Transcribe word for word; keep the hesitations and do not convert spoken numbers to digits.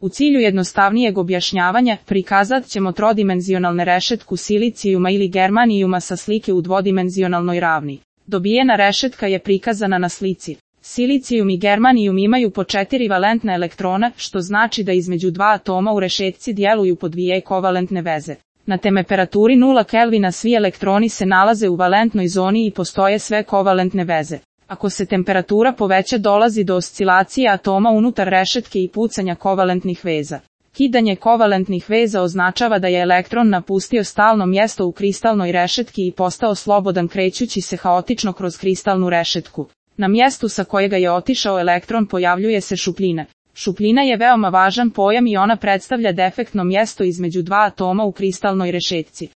U cilju jednostavnijeg objašnjavanja, prikazat ćemo trodimenzionalne rešetku silicijuma ili germanijuma sa slike u dvodimenzionalnoj ravni. Dobijena rešetka je prikazana na slici. Silicijum i germanijum imaju po četiri valentna elektrona, što znači da između dva atoma u rešetci djeluju po dvije kovalentne veze. Na temperaturi nula Kelvina svi elektroni se nalaze u valentnoj zoni i postoje sve kovalentne veze. Ako se temperatura poveća, dolazi do oscilacije atoma unutar rešetke i pucanja kovalentnih veza. Kidanje kovalentnih veza označava da je elektron napustio stalno mjesto u kristalnoj rešetki i postao slobodan krećući se haotično kroz kristalnu rešetku. Na mjestu sa kojega je otišao elektron pojavljuje se šupljina. Šupljina je veoma važan pojam i ona predstavlja defektno mjesto između dva atoma u kristalnoj rešetci.